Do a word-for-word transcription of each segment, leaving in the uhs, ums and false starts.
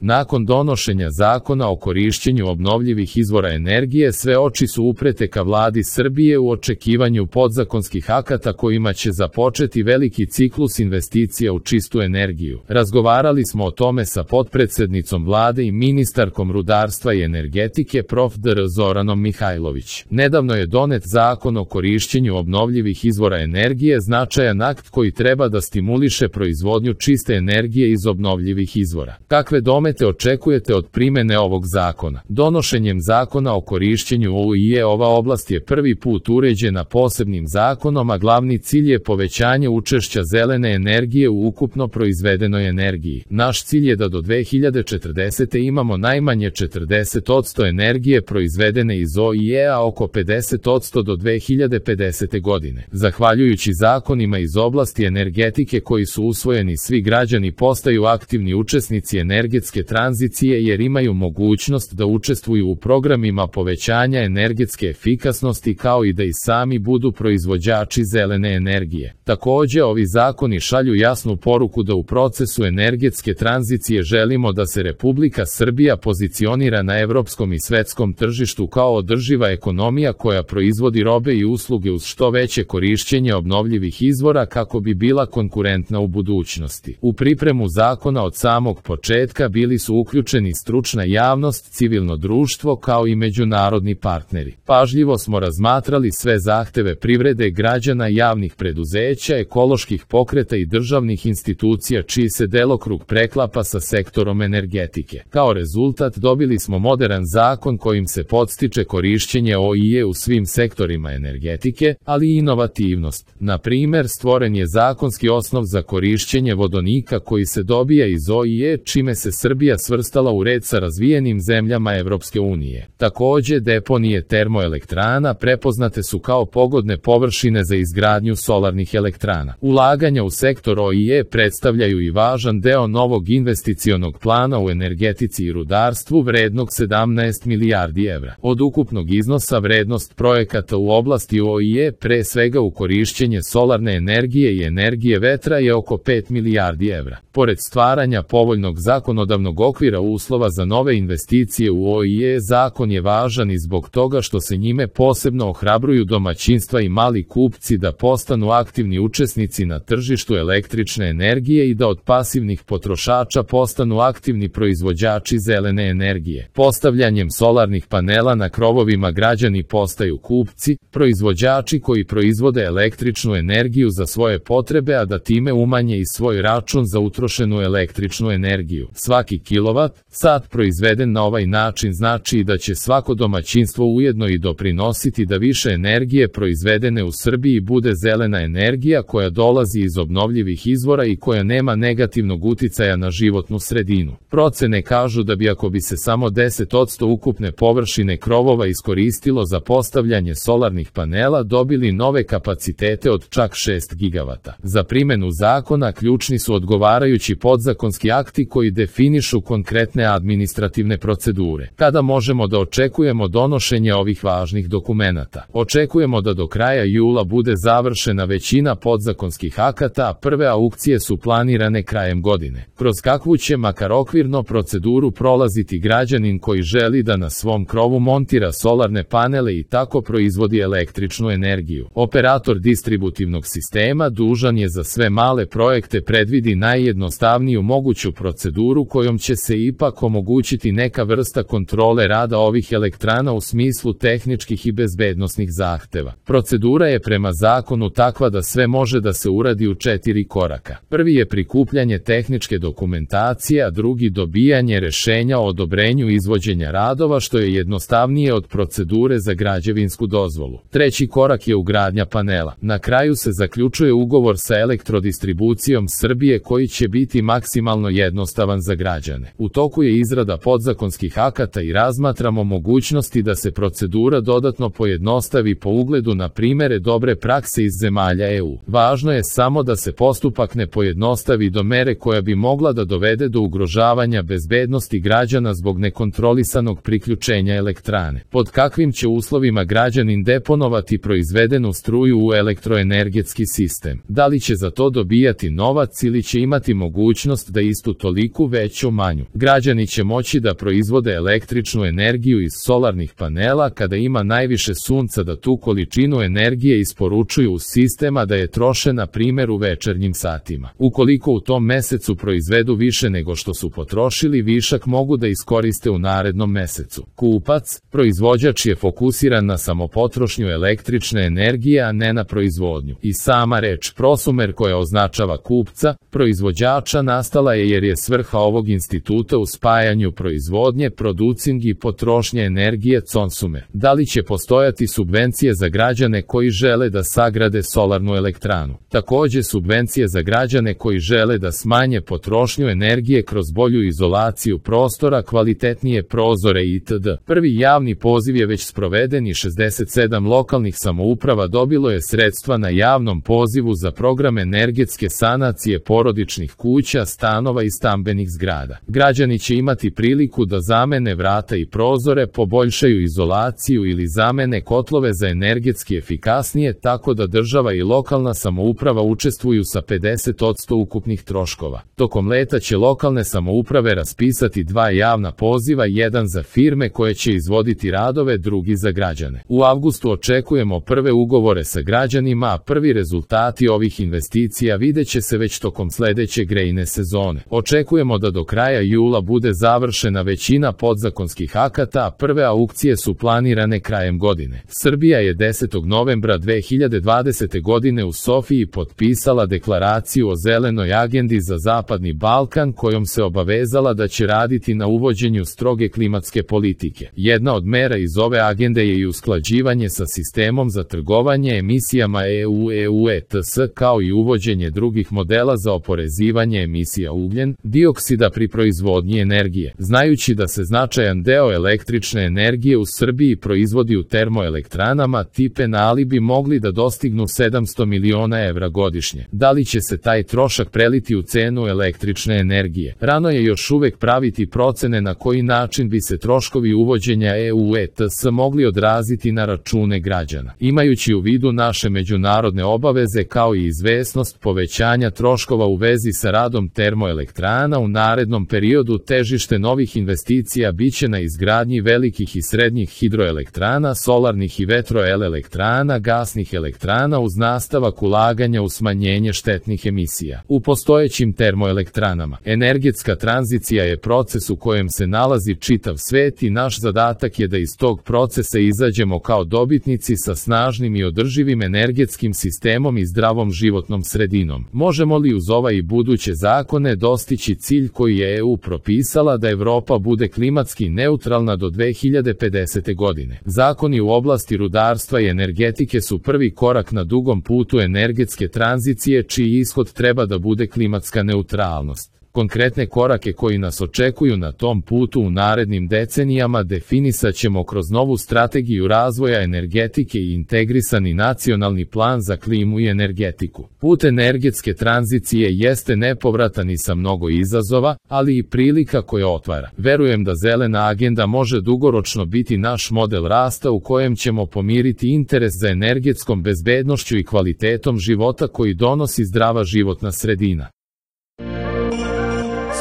Nakon donošenja zakona o korišćenju obnovljivih izvora energije, sve oči su uprete ka vladi Srbije u očekivanju podzakonskih akata kojima će započeti veliki ciklus investicija u čistu energiju. Razgovarali smo o tome sa potpredsednicom vlade i ministarkom rudarstva i energetike prof dr Zoranom Mihajlović. Nedavno je donet zakon o korišćenju obnovljivih izvora energije, značajan akt koji treba da stimuliše proizvodnju čiste energije iz obnovljivih izvora. Kakve domete očekujete od primene ovog zakona? Donošenjem zakona o korišćenju O I E ova oblast je prvi put uređena posebnim zakonom, a glavni cilj je povećanje učešća zelene energije u ukupno proizvedenoj energiji. Naš cilj je da do dve hiljade četrdesete imamo najmanje četrdeset posto energije proizvedene iz O I E, a oko pedeset posto do dve hiljade pedesete godine. Zahvaljujući zakonima iz oblasti energetike koji su usvojeni, svi građani postaju aktivni učesnici energetske tranzicije jer imaju mogućnost da učestvuju u programima povećanja energetske efikasnosti kao i da i sami budu proizvođači zelene energije. Takođe, ovi zakoni šalju jasnu poruku da u procesu energetske tranzicije želimo da se Republika Srbija pozicionira na evropskom i svetskom tržištu kao održiva ekonomija koja proizvodi robe i usluge uz što veće korišćenje obnovljivih izvora kako bi bila konkurentna u budućnosti. U pripremu zakona od samog početka bili su uključeni stručna javnost, civilno društvo kao i međunarodni partneri. Pažljivo smo razmatrali sve zahteve privrede, građana, javnih preduzeća, ekoloških pokreta i državnih institucija čiji se delokrug preklapa sa sektorom energetike. Kao rezultat dobili smo moderan zakon kojim se podstiče korišćenje O I E u svim sektorima energetike, ali i inovativnost. Na primer, stvoren je zakonski osnov za korišćenje vodonika koji se dobija iz O I E, čime se Srbija svrstala u red sa razvijenim zemljama Evropske unije. Takođe, deponije termoelektrana prepoznate su kao pogodne površine za izgradnju solarnih elektrana. Ulaganja u sektor O I E predstavljaju i važan deo novog investicionog plana u energetici i rudarstvu vrednog sedamnaest milijardi evra. Od ukupnog iznosa vrednost projekata u oblasti O I E, pre svega u korišćenje solarne energije i energije vetra, je oko pet milijardi evra. Pored stvaranja povoljnog zakonodavnog okvira uslova za nove investicije u O I E, zakon je važan i zbog toga što se njime posebno ohrabruju domaćinstva i mali kupci da postanu aktivni učesnici na tržištu električne energije i da od pasivnih potrošača postanu aktivni proizvođači zelene energije. Postavljanjem solarnih panela na krovovima građani postaju kupci, proizvođači koji proizvode električnu energiju za svoje potrebe, a da time umanje i svoj račun za utrošenu električnu energiju. Svaki kilovat sat proizveden na ovaj način znači da će svako domaćinstvo ujedno i doprinositi da više energije proizvedene u Srbiji bude zelena energija koja dolazi iz obnovljivih izvora i koja nema negativnog uticaja na životnu sredinu. Procene kažu da bi ako bi se samo deset posto ukupne površine krovova iskoristilo za postavljanje solarnih panela, dobili nove kapacitete od čak šest gigavata. Za primenu zakona ključni su odgovarajući podzakonski akti koji definišu konkretne administrativne procedure. Kada možemo da očekujemo donošenje ovih važnih dokumenata? Očekujemo da do kraja jula bude završena većina podzakonskih akata, a prve aukcije su planirane krajem godine. Kroz kakvu će makar okvirno proceduru prolaziti građanin koji želi da na svom krovu montira solarne panele i tako proizvodi električnu energiju? Operator distributivnog sistema dužan je za sve male projekte predvidi najjednostavniju moguću proceduru kojom će se ipak omogućiti neka vrsta kontrole rada ovih elektrana u smislu tehničkih i bezbednosnih zahteva. Procedura je prema zakonu takva da sve može da se uradi u četiri koraka. Prvi je prikupljanje tehničke dokumentacije, a drugi dobijanje rešenja o odobrenju izvođenja radova, što je jednostavnije od procedure za građevinsku dozvolu. Treći korak je ugradnja panela. Na kraju se zaključuje ugovor sa Elektrodistribucijom Srbije koji će biti maksimalno jednostavan za građane. U toku je izrada podzakonskih akata i razmatramo mogućnosti da se procedura dodatno pojednostavi po ugledu na primere dobre prakse iz zemalja E U. Važno je samo da se postupak ne pojednostavi do mere koja bi mogla da dovede do ugrožavanja bezbednosti građana zbog nekontrolisanog priključenja elektrane. Pod kakvim će uslovima građanin deponovati proizvedenu struju u elektroenergetski sistem? Da li će za to dobijati novac ili će imati mogućnost da istu toliku veću većom manju. Građani će moći da proizvode električnu energiju iz solarnih panela kada ima najviše sunca, da tu količinu energije isporučuju u sistem, a da je troše na primjer u večernjim satima. Ukoliko u tom mesecu proizvedu više nego što su potrošili, višak mogu da iskoriste u narednom mesecu. Kupac, proizvođač je fokusiran na samopotrošnju električne energije, a ne na proizvodnju. I sama reč prosumer, koja označava kupca, proizvođača, nastala je jer je svrha ovog instituta u spajanju proizvodnje, producing i potrošnje energije consumer. Da li će postojati subvencije za građane koji žele da sagrade solarnu elektranu? Takođe subvencije za građane koji žele da smanje potrošnju energije kroz bolju izolaciju prostora, kvalitetnije prozore itd. Prvi javni poziv je već sproveden i šezdeset sedam lokalnih samouprava dobilo je sredstva na javnom pozivu za program energetske sanacije porodičnih kuća, stanova i stambenih zgrada. Građani će imati priliku da zamene vrata i prozore, poboljšaju izolaciju ili zamene kotlove za energetski efikasnije, tako da država i lokalna samouprava učestvuju sa pedeset posto ukupnih troškova. Tokom leta će lokalne samouprave raspisati dva javna poziva, jedan za firme koje će izvoditi radove, drugi za građane. U avgustu očekujemo prve ugovore sa građanima, a prvi rezultati ovih investicija vidjet će se već tokom sledeće grejne sezone. Očekujemo da do kraja jula bude završena većina podzakonskih akata, a prve aukcije su planirane krajem godine. Srbija je desetog novembra dve hiljade dvadesete godine u Sofiji potpisala deklaraciju o zelenoj agendi za Zapadni Balkan, kojom se obavezala da će raditi na uvođenju stroge klimatske politike. Jedna od mera iz ove agende je i usklađivanje sa sistemom za trgovanje emisijama E U E U E T S, kao i uvođenje drugih modela za oporezivanje emisija ugljen dioksida pri proizvodnji energije. Znajući da se značajan deo električne energije u Srbiji proizvodi u termoelektranama, ti penali bi mogli da dostignu sedamsto miliona evra godišnje. Da li će se taj trošak preliti u cenu električne energije? Rano je još uvek praviti procene na koji način bi se troškovi uvođenja E U E T S mogli odraziti na račune građana. Imajući u vidu naše međunarodne obaveze kao i izvesnost povećanja troškova u vezi sa radom termoelektrana u narednom periodu, težište novih investicija biće na izgradnji velikih i srednjih hidroelektrana, solarnih i vetroelektrana, gasnih elektrana, uz nastavak ulaganja u smanjenje štetnih emisija. U postojećim termoelektranama, energetska tranzicija je proces u kojem se nalazi čitav svet i naš zadatak je da iz tog procesa izađemo kao dobitnici sa snažnim i održivim energetskim sistemom i zdravom životnom sredinom. Možemo li uz ova i buduće zakone dostići cilj koji je E U propisala, da Evropa bude klimatski neutralna do dve hiljade pedesete. godine? Zakoni u oblasti rudarstva i energetike su prvi korak na dugom putu energetske tranzicije, čiji ishod treba da bude klimatska neutralnost. Konkretne korake koji nas očekuju na tom putu u narednim decenijama definisat ćemo kroz novu strategiju razvoja energetike i integrisani nacionalni plan za klimu i energetiku. Put energetske tranzicije jeste nepovratan i sa mnogo izazova, ali i prilika koja otvara. Verujem da zelena agenda može dugoročno biti naš model rasta u kojem ćemo pomiriti interes za energetskom bezbednošću i kvalitetom života koji donosi zdrava životna sredina.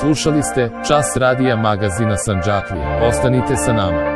Slušali ste Čas radija magazina Sandžaklija. Ostanite sa nama.